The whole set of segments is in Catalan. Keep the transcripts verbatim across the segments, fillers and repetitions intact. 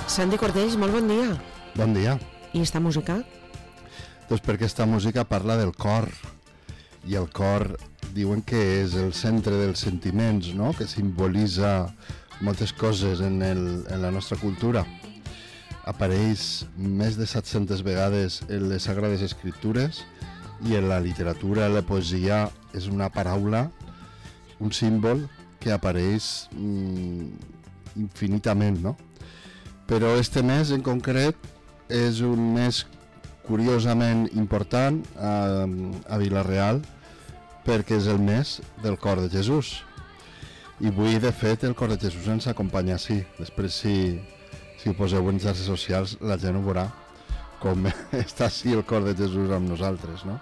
Santi Cortells, molt bon dia. Bon dia. I esta música? Doncs perquè esta música parla del cor, i el cor diuen que és el centre dels sentiments, no? Que simbolitza moltes coses en, el, en la nostra cultura. Apareix més de set-centes vegades en les Sagrades Escriptures i en la literatura, la poesia, és una paraula, un símbol que apareix mm, infinitament, no? Però este mes en concret és un mes curiosament important a, a Vila-real perquè és el mes del cor de Jesús. I avui, de fet, el cor de Jesús ens acompanya així. Després, si, si ho poseu en xarxes socials, la gent ho veurà com està així el cor de Jesús amb nosaltres, no?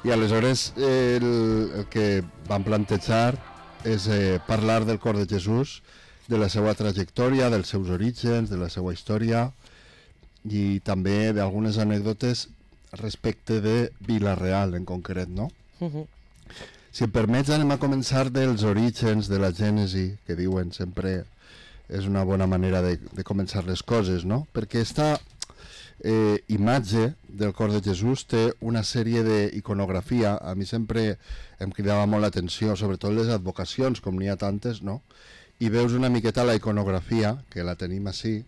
I aleshores el, el que vam plantejar és eh, parlar del cor de Jesús, de la seva trajectòria, dels seus orígens, de la seva història i també d'algunes anècdotes respecte de Vila-real en concret, no? Uh-huh. Si em permets, anem a començar dels orígens, de la gènesi, que diuen sempre és una bona manera de, de començar les coses, no? Perquè esta eh, imatge del cor de Jesús té una sèrie d'iconografia. A mi sempre em cridava molt l'atenció, sobretot les advocacions, com n'hi ha tantes, no? I veus una miqueta la iconografia, que la tenim així.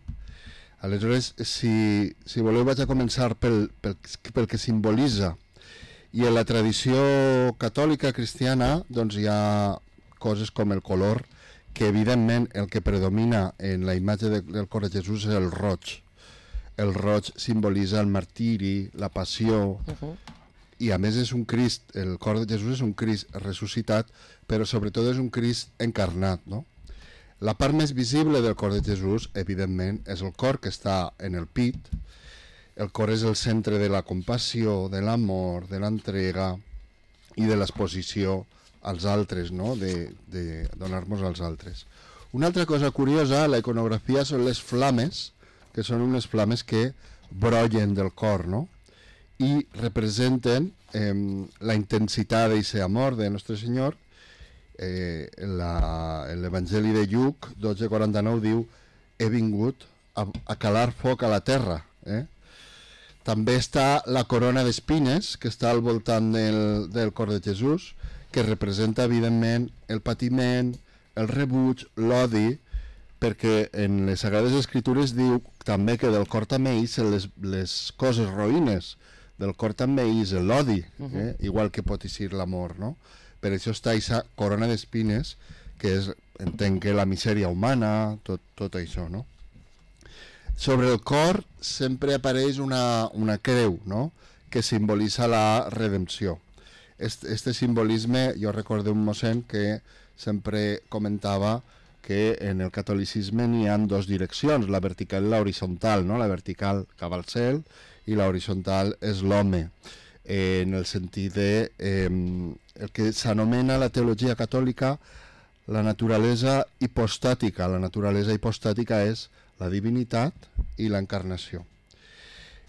Aleshores, si, si voleu, vaig a començar pel, pel, pel que simbolitza. I en la tradició catòlica cristiana doncs hi ha coses com el color, que evidentment el que predomina en la imatge de, del cor de Jesús és el roig. El roig simbolitza el martiri, la passió, uh-huh. I a més és un Crist, el cor de Jesús és un Crist ressuscitat, però sobretot és un Crist encarnat, no? La part més visible del cor de Jesús, evidentment, és el cor que està en el pit. El cor és el centre de la compassió, de l'amor, de l'entrega i de l'exposició als altres, no? De, de donar-nos als altres. Una altra cosa curiosa, la iconografia són les flames, que són unes flames que brollen del cor, no? I representen eh, la intensitat d'aquest amor de Nostre Senyor. Eh, l'Evangeli de Lluc dotze quaranta-nou diu: he vingut a, a calar foc a la terra, eh? També està la corona d'espines que està al voltant del, del cor de Jesús, que representa evidentment el patiment, el rebuig, l'odi, perquè en les Sagrades Escritures diu també que del cor també ix les, les coses roïnes, del cor també ix l'odi, eh? Uh-huh. Igual que pot eixir l'amor, no? Per això està aquesta corona d'espines, que és, entenc que la misèria humana, tot, tot això, no? Sobre el cor sempre apareix una, una creu, no? Que simbolitza la redempció. Este, este simbolisme, jo recordo un mossèn que sempre comentava que en el catolicisme n'hi ha dues direccions, la vertical i la horitzontal, no? La vertical cap al cel i la horitzontal és l'home, eh, en el sentit de eh, el que s'anomena la teologia catòlica la naturalesa hipostàtica. La naturalesa hipostàtica és la divinitat i l'encarnació.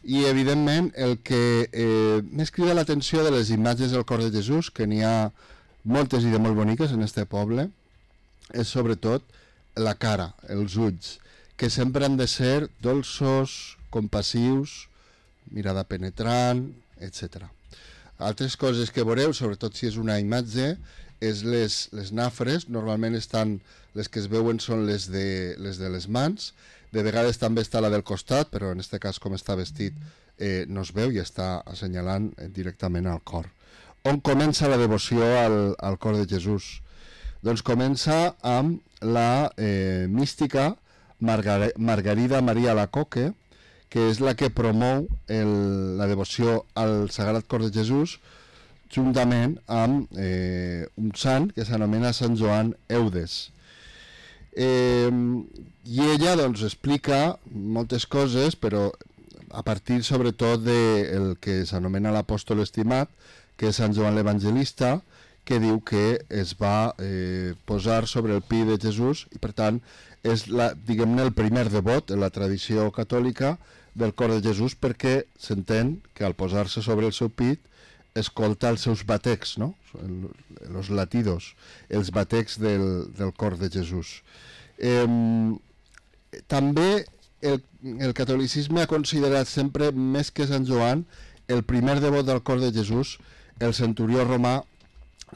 I evidentment el que eh, més crida l'atenció de les imatges del cor de Jesús, que n'hi ha moltes i de molt boniques en este poble, és sobretot la cara, els ulls, que sempre han de ser dolços, compassius, mirada penetrant, etcètera. Altres coses que veureu, sobretot si és una imatge, és les, les nafres. Normalment estan, les que es veuen són les de les, de les mans, de vegades també està la del costat, però en aquest cas com està vestit eh, no es veu i està assenyalant directament al cor. On comença la devoció al, al cor de Jesús? Doncs comença amb la eh, mística Margar Margarida Maria Alacoque, que és la que promou el, la devoció al Sagrat Cor de Jesús, juntament amb eh, un sant que s'anomena Sant Joan Eudes. Eh, I ella doncs, explica moltes coses, però a partir sobretot del de que s'anomena l'apòstol estimat, que és Sant Joan l'Evangelista, que diu que es va eh, posar sobre el pi de Jesús i per tant és la, diguem-ne, el primer devot en la tradició catòlica del cor de Jesús, perquè s'entén que al posar-se sobre el seu pit escolta els seus batecs, no? Els latidos, els batecs del, del cor de Jesús. Eh, també el, el catolicisme ha considerat sempre, més que Sant Joan, el primer devot del cor de Jesús, el centurió romà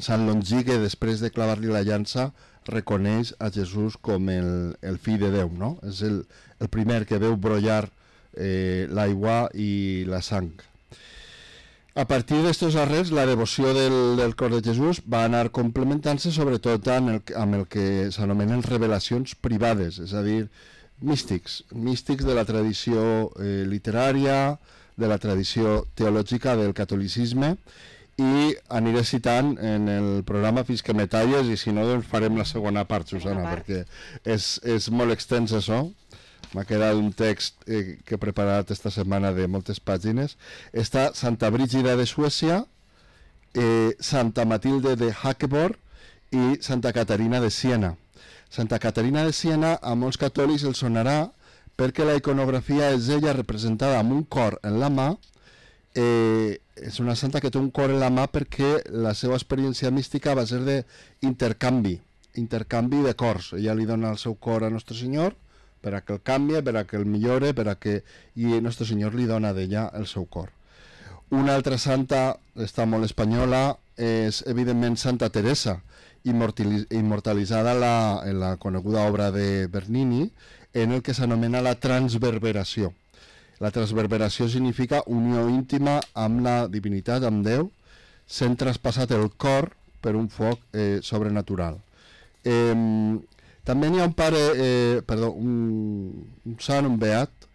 Sant Longí, que després de clavar-li la llança reconeix a Jesús com el, el fill de Déu, no? És el, el primer que veu brollar eh, l'aigua i la sang. A partir d'estos arrels, la devoció del, del cor de Jesús va anar complementant-se sobretot amb el, amb el que s'anomenen revelacions privades, és a dir, místics, místics de la tradició eh, literària, de la tradició teològica del catolicisme, i aniré citant en el programa fins que me talles, i si no doncs farem la segona part, Susana, part. perquè és, és molt extens això. M'ha quedat un text eh, que he preparat esta setmana de moltes pàgines. Està Santa Brígida de Suècia, eh, Santa Matilde de Hackeborg i Santa Caterina de Siena. Santa Caterina de Siena a molts catòlics els sonarà perquè la iconografia és ella representada amb un cor en la mà. Eh, és una santa que té un cor en la mà perquè la seva experiència mística va ser d'intercanvi, intercanvi de cors. Ella li dona el seu cor a Nostre Senyor per a que el canvi, per a que el millore, per a que... i Nostre Senyor li dona d'ella el seu cor. Una altra santa, està molt espanyola, és evidentment Santa Teresa, immortalitzada la, en la coneguda obra de Bernini, en el que s'anomena la transverberació. La transverberació significa unió íntima amb la divinitat, amb Déu, sent traspassat el cor per un foc eh, sobrenatural. Eh, també n'hi ha un pare, eh, perdó, un, un sant, un beat,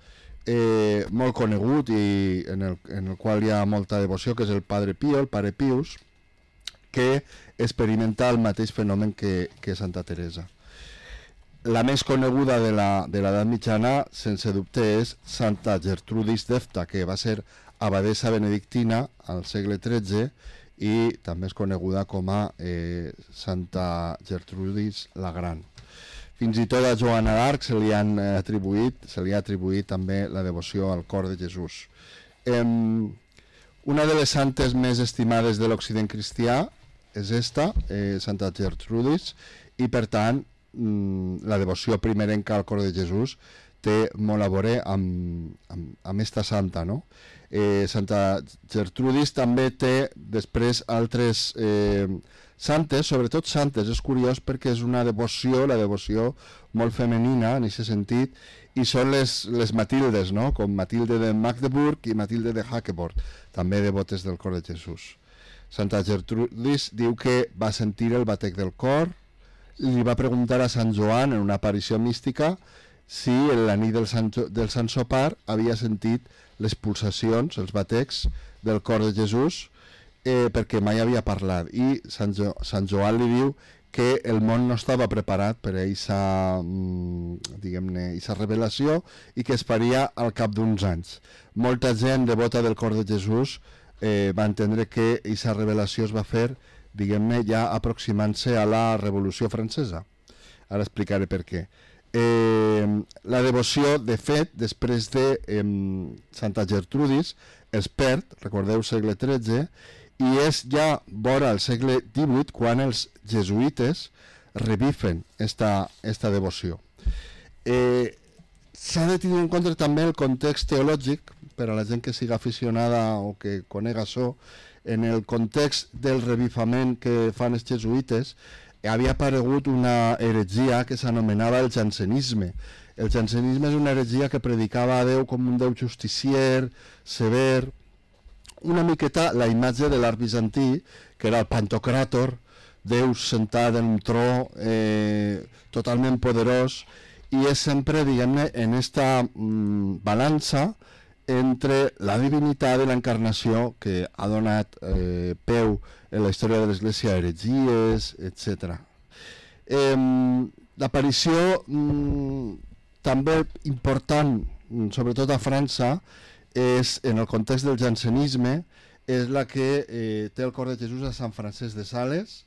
eh, molt conegut i en el, en el qual hi ha molta devoció, que és el Padre Pio, el Pare Pius, que experimenta el mateix fenomen que, que Santa Teresa. La més coneguda de l'edat mitjana, sense dubte, és Santa Gertrudis d'Efta, que va ser abadessa benedictina al segle tretze i també és coneguda com a eh, Santa Gertrudis la Gran. Fins i tot a Joana d'Arc se li han atribuït, se li ha atribuït també la devoció al cor de Jesús. Eh, una de les santes més estimades de l'Occident cristià és esta, eh, Santa Gertrudis, i per tant la devoció primerenca al cor de Jesús té molt a veure amb, amb, amb esta santa, no? Eh, Santa Gertrudis també té després altres eh, santes, sobretot santes, és curiós perquè és una devoció, la devoció molt femenina en aquest sentit, i són les, les Matildes, no? Com Matilde de Magdeburg i Matilde de Hackeborg, també devotes del cor de Jesús. Santa Gertrudis diu que va sentir el batec del cor, li va preguntar a Sant Joan en una aparició mística si en la nit del Sant, del Sant Sopar havia sentit les pulsacions, els batecs del cor de Jesús, eh, perquè mai havia parlat, i Sant, jo, Sant Joan li diu que el món no estava preparat per a aquesta diguem-ne, aquesta revelació i que es faria al cap d'uns anys. Molta gent devota del cor de Jesús eh, va entendre que aquesta revelació es va fer diguem-ne, ja aproximant-se a la Revolució Francesa. Ara explicaré per què. Eh, la devoció, de fet, després de eh, Santa Gertrudis, es perd, recordeu, segle tretze, i és ja vora el segle divuit quan els jesuïtes revifen esta, esta devoció. Eh, S'ha de tenir en compte també el context teològic, per a la gent que siga aficionada o que conega això. En el context del revifament que fan els jesuïtes havia aparegut una heretgia que s'anomenava el jansenisme. El jansenisme és una heretgia que predicava a Déu com un Déu justicier, sever, una miqueta la imatge de l'art bizantí, que era el Pantocràtor, Déu sentat en un tro eh, totalment poderós, i és sempre, diguem-ne, en esta mm, balança entre la divinitat i l'encarnació que ha donat eh, peu en la història de l'Església a heretgies, etcètera. Eh, L'aparició mm, també important, sobretot a França, és, en el context del jansenisme, és la que eh, té el cor de Jesús a Sant Francesc de Sales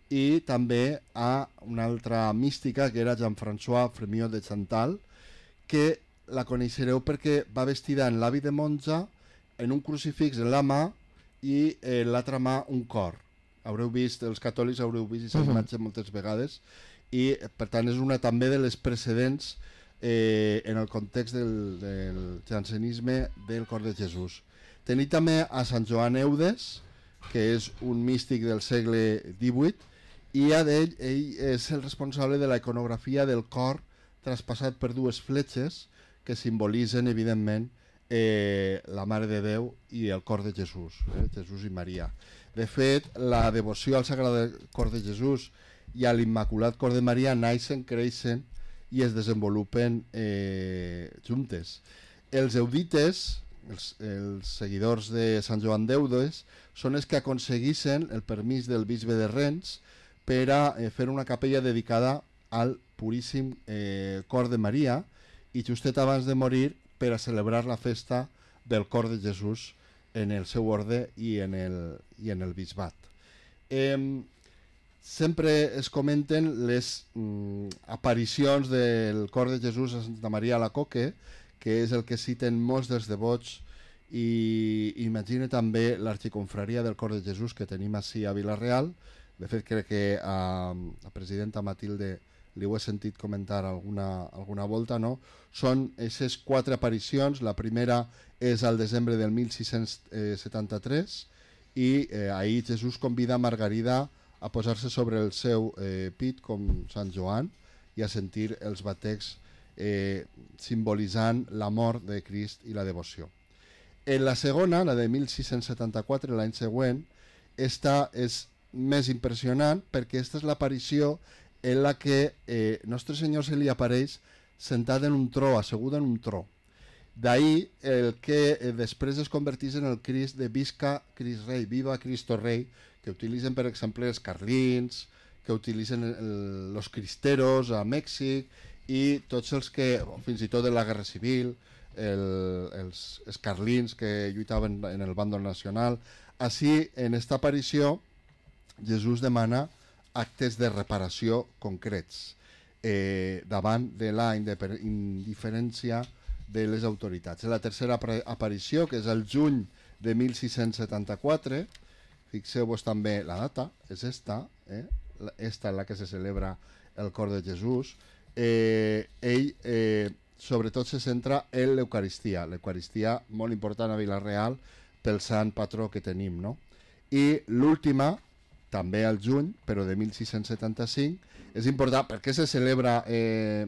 i també a una altra mística que era Jean-François Frémyot de Chantal, que la coneixereu perquè va vestida en l'hàbit de monja, en un crucifix en la mà i en l'altra mà un cor. Haureu vist, els catòlics haureu vist aquesta imatge moltes vegades, i per tant és una també de les precedents eh, en el context del, del jansenisme del cor de Jesús. Tenim també a Sant Joan Eudes, que és un místic del segle divuit, i a d'ell ell és el responsable de la iconografia del cor traspassat per dues fletxes que simbolitzen, evidentment, eh, la Mare de Déu i el cor de Jesús, eh, Jesús i Maria. De fet, la devoció al Sagrat Cor de Jesús i a l'Immaculat Cor de Maria naixen, creixen i es desenvolupen eh, juntes. Els eudites, els, els seguidors de Sant Joan d'Eudes, són els que aconseguissin el permís del bisbe de Rennes per a eh, fer una capella dedicada al Puríssim eh, Cor de Maria, i justet abans de morir per a celebrar la festa del Cor de Jesús en el seu orde i en el, i en el bisbat. Eh, sempre es comenten les mm, aparicions del Cor de Jesús a Santa Maria a la Coque, que és el que citen molts dels devots, i imagina també l'arxiconfraria del Cor de Jesús que tenim així a Vila-real. De fet, crec que a la presidenta Matilde li ho he sentit comentar alguna, alguna volta, no? Són aquestes quatre aparicions. La primera és al desembre del mil sis-cents setanta-tres i eh, ahir Jesús convida a Margarida a posar-se sobre el seu eh, pit com Sant Joan i a sentir els batecs eh, simbolitzant la mort de Crist i la devoció. En la segona, la de mil sis-cents setanta-quatre, l'any següent, esta és més impressionant perquè aquesta és l'aparició en la que eh, Nostre Senyor se li apareix sentat en un tro, assegut en un tro. D'ahir el que eh, després es converteix en el Crist de Visca Crist Rei, Viva Cristo Rei, que utilitzen per exemple els carlins, que utilitzen els cristeros a Mèxic i tots els que, fins i tot de la Guerra Civil, el, els, els carlins que lluitaven en el bàndol nacional. Així, en esta aparició, Jesús demana actes de reparació concrets eh, davant de la indiferència de les autoritats. La tercera aparició, que és el juny de mil sis-cents setanta-quatre, fixeu-vos també la data, és esta, eh? esta en la que se celebra el Cor de Jesús. Eh, ell eh, sobretot se centra en l'Eucaristia, l'Eucaristia molt important a Vila-real pel sant patró que tenim, no? I l'última, també al juny, però de mil sis-cents setanta-cinc, és important. Per què se celebra eh,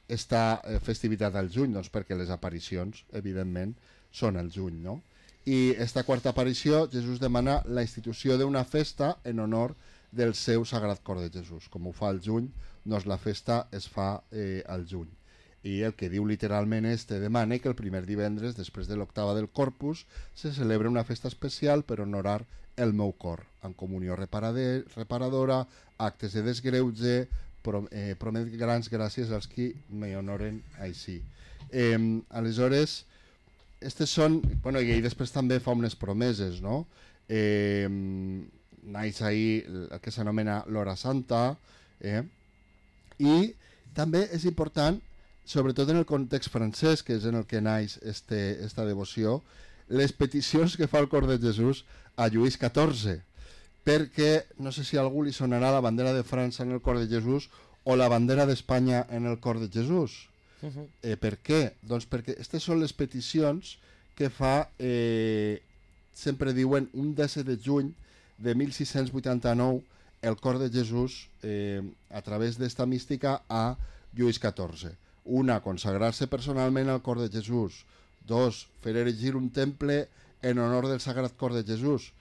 esta festivitat al juny? Doncs perquè les aparicions, evidentment, són al juny, no? I esta quarta aparició, Jesús demana la institució d'una festa en honor del seu Sagrat Cor de Jesús. Com ho fa al juny, doncs la festa es fa eh, al juny. I el que diu literalment és: te demane que el primer divendres, després de l'octava del Corpus, se celebra una festa especial per honorar el meu cor, en comunió reparadora, actes de desgreuge, prom eh, promet grans gràcies als qui me honoren així. Eh, aleshores, estes són, bueno, i ell després també fa unes promeses, no? Eh, naix ahir el que s'anomena l'Hora Santa, eh? I també és important, sobretot en el context francès, que és en el que naix este, esta devoció, les peticions que fa el Cor de Jesús a Lluís catorze, perquè no sé si a algú li sonarà la bandera de França en el Cor de Jesús o la bandera d'Espanya en el Cor de Jesús. Uh-huh. eh, per què? Doncs perquè aquestes són les peticions que fa, eh, sempre diuen, un disset de juny de mil sis-cents vuitanta-nou el Cor de Jesús eh, a través d'esta mística a Lluís catorze. Una, consagrar-se personalment al Cor de Jesús. Dos, fer erigir un temple en honor del Sagrat Cor de Jesús.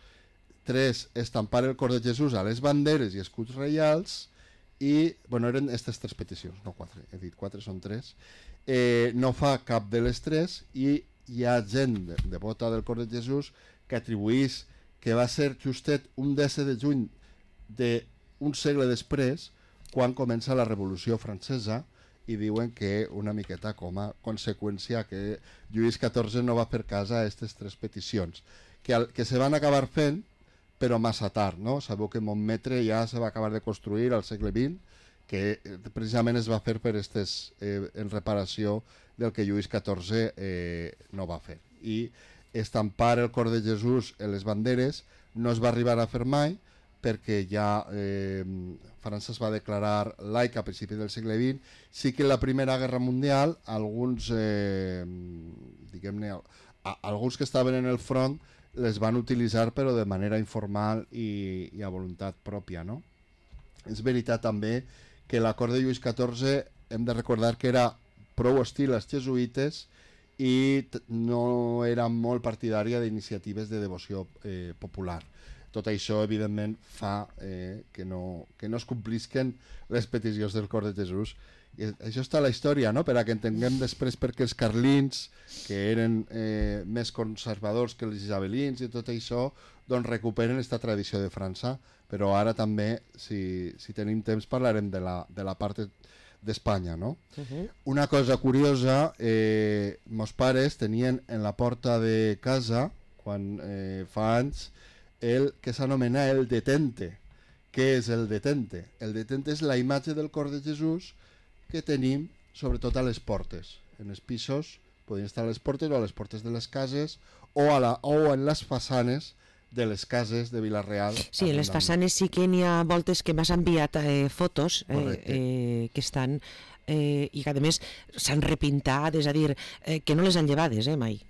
Tres, estampar el Cor de Jesús a les banderes i escuts reials. I, bueno, eren aquestes tres peticions, no quatre, he dit quatre, són tres. Eh, no fa cap de les tres i hi ha gent devota del Cor de Jesús que atribuís que va ser justet un disset de juny d'un segle després, quan comença la Revolució Francesa, i diuen que una miqueta com a conseqüència que Lluís catorze no va fer cas a aquestes tres peticions, que, al, que se van acabar fent, però massa tard, no? Sabeu que Montmetre ja se va acabar de construir al segle vint, que precisament es va fer per estes, eh, en reparació del que Lluís catorze eh, no va fer. I estampar el Cor de Jesús en les banderes no es va arribar a fer mai, perquè ja eh, França es va declarar laica a principis del segle vint. Sí que en la Primera Guerra Mundial alguns, eh, diguem-ne, a, alguns que estaven en el front les van utilitzar però de manera informal i, i a voluntat pròpia, no? És veritat també que l'acord de Lluís catorze hem de recordar que era prou hostil als jesuïtes i no era molt partidària d'iniciatives de devoció eh, popular. Tot això, evidentment, fa eh, que, no, que no es complisquen les peticions del cor de Jesús. I això està a la història, no? Per a que entenguem després perquè els carlins, que eren eh, més conservadors que els isabelins i tot això, doncs recuperen aquesta tradició de França. Però ara també, si, si tenim temps, parlarem de la, de la part d'Espanya, no? Uh-huh. Una cosa curiosa, eh, meus pares tenien en la porta de casa, quan eh, fa anys, el que s'anomena el detente. Què és el detente? El detente és la imatge del cor de Jesús que tenim sobretot a les portes. En els pisos podien estar a les portes o a les portes de les cases o, a la, o en les façanes de les cases de Vila-real. Sí, en les façanes sí que n'hi ha voltes que m'has enviat eh, fotos eh, eh, que estan eh, i que a més s'han repintat, és a dir, eh, que no les han llevades, eh, mai.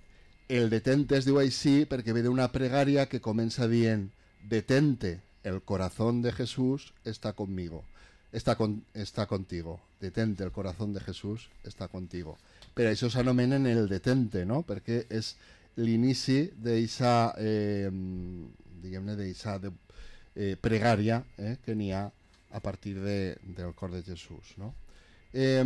El detente es diu així perquè ve d'una pregària que comença dient detente, el corazón de Jesús está conmigo, está, con, está contigo, detente, el corazón de Jesús está contigo. Per això s'anomenen el detente, no? Perquè és l'inici d'eixa eh, diguem-ne d'eixa de, eh, pregària eh, que n'hi ha a partir de, del cor de Jesús, no? Eh,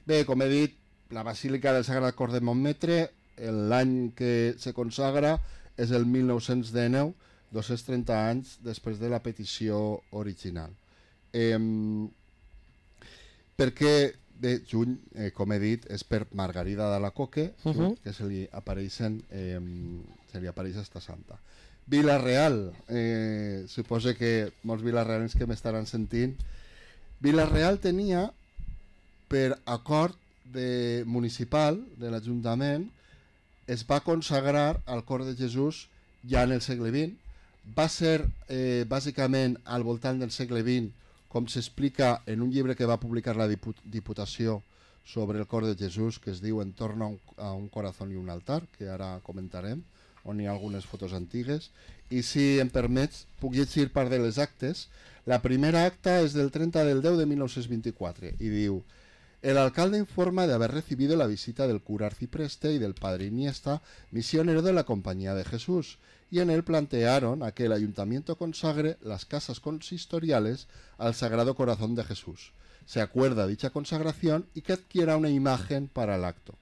bé, com he dit, la Basílica del Sagrat Cor de Montmetre, l'any que se consagra és el mil nou-cents dinou, dos-cents trenta anys després de la petició original. Eh, perquè de juny, eh, com he dit, és per Margarida de la Coque, uh -huh. que se li apareixen, eh, se li apareix esta santa. Vila-real, eh, suposo que molts vilarealens que m'estaran sentint. Vila-real tenia, per acord de municipal de l'Ajuntament, es va consagrar al cor de Jesús ja en el segle vint. Va ser eh, bàsicament al voltant del segle vint, com s'explica en un llibre que va publicar la Diputació sobre el cor de Jesús, que es diu En torno a un, a un corazón i un altar, que ara comentarem, on hi ha algunes fotos antigues. I si em permets, puc llegir part de les actes. La primera acta és del trenta del deu de mil nou-cents vint-i-quatre i diu: el alcalde informa de haber recibido la visita del cura arcipreste y del padre Iniesta, misionero de la Compañía de Jesús, y en él plantearon a que el ayuntamiento consagre las casas consistoriales al Sagrado Corazón de Jesús. Se acuerda dicha consagración y que adquiera una imagen para el acto.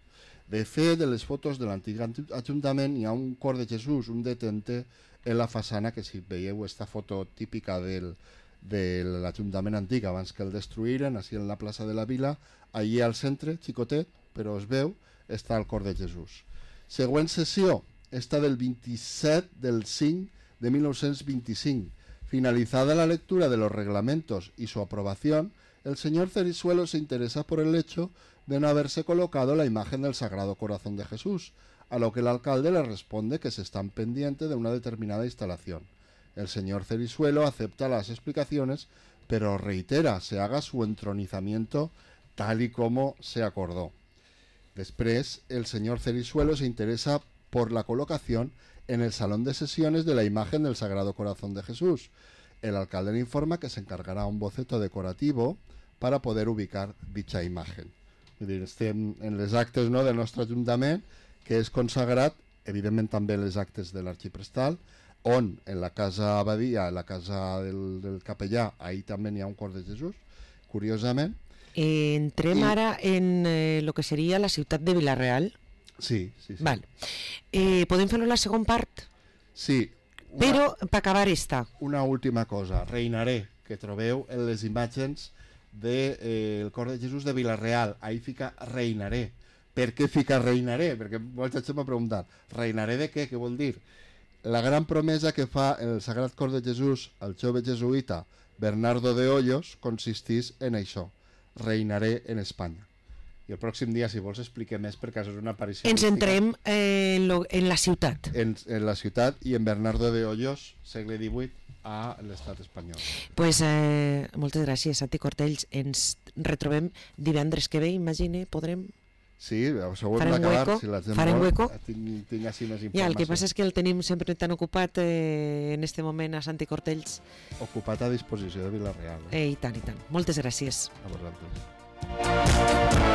De fe de les fotos de l'antic ajuntament hi ha un cor de Jesús, un detente en la façana, que si veieu esta foto típica del, de l'Ajuntament antic abans que el destruïren, així en la plaça de la Vila, allí al centre, xicotet, però es veu, està el cor de Jesús. Següent sessió, esta del vint-i-set del cinc de mil nou-cents vint-i-cinc. Finalizada la lectura de los reglamentos y su aprobación, el señor Cerisuelo se interesa por el hecho de no haberse colocado la imagen del Sagrado Corazón de Jesús, a lo que el alcalde le responde que se están pendiente de una determinada instalación. El señor Cerisuelo acepta las explicaciones, pero reitera se haga su entronizamiento tal y como se acordó. Després, el señor Cerisuelo se interesa por la colocación en el salón de sesiones de la imagen del Sagrado Corazón de Jesús. El alcalde le informa que se encargará un boceto decorativo para poder ubicar dicha imagen. Vull dir, estem en les actes, no, del nostre Ajuntament, que és consagrat, evidentment també les actes de l'arxiprestal, on en la casa abadia, en la casa del, del capellà, ahí també hi ha un cor de Jesús, curiosament. Eh, entrem I... ara en eh, lo que seria la ciutat de Vila-real. Sí, sí, sí. Val. Eh, podem fer-lo la segona part? Sí. Una, però, per acabar esta. Una última cosa. Reinaré, que trobeu en les imatges del de, eh, cor de Jesús de Vila-real. Ahí fica reinaré. Per què fica reinaré? Perquè molta gent m'ha preguntat. Reinaré de què? Què vol dir? La gran promesa que fa el Sagrat Cor de Jesús al jove jesuïta Bernardo de Hoyos consistís en això. Reinaré en Espanya. I el pròxim dia, si vols, expliquem més, perquè és una aparició Ens mística. entrem eh, en, lo, en la ciutat. En, en la ciutat i en Bernardo de Hoyos, segle divuit, a l'estat espanyol. Pues, eh, moltes gràcies, Santi Cortells. Ens retrobem divendres que ve, imagine, podrem... Sí, això ho hem Farem d'acabar, hueco, si la gent farem vol, hueco. tinc, tinc així més informació. Ja, el que passa és que el tenim sempre tan ocupat eh, en este moment a Santi Cortells. Ocupat a disposició de Vila-real. Eh, I tant, i tant. Moltes gràcies. A vosaltres.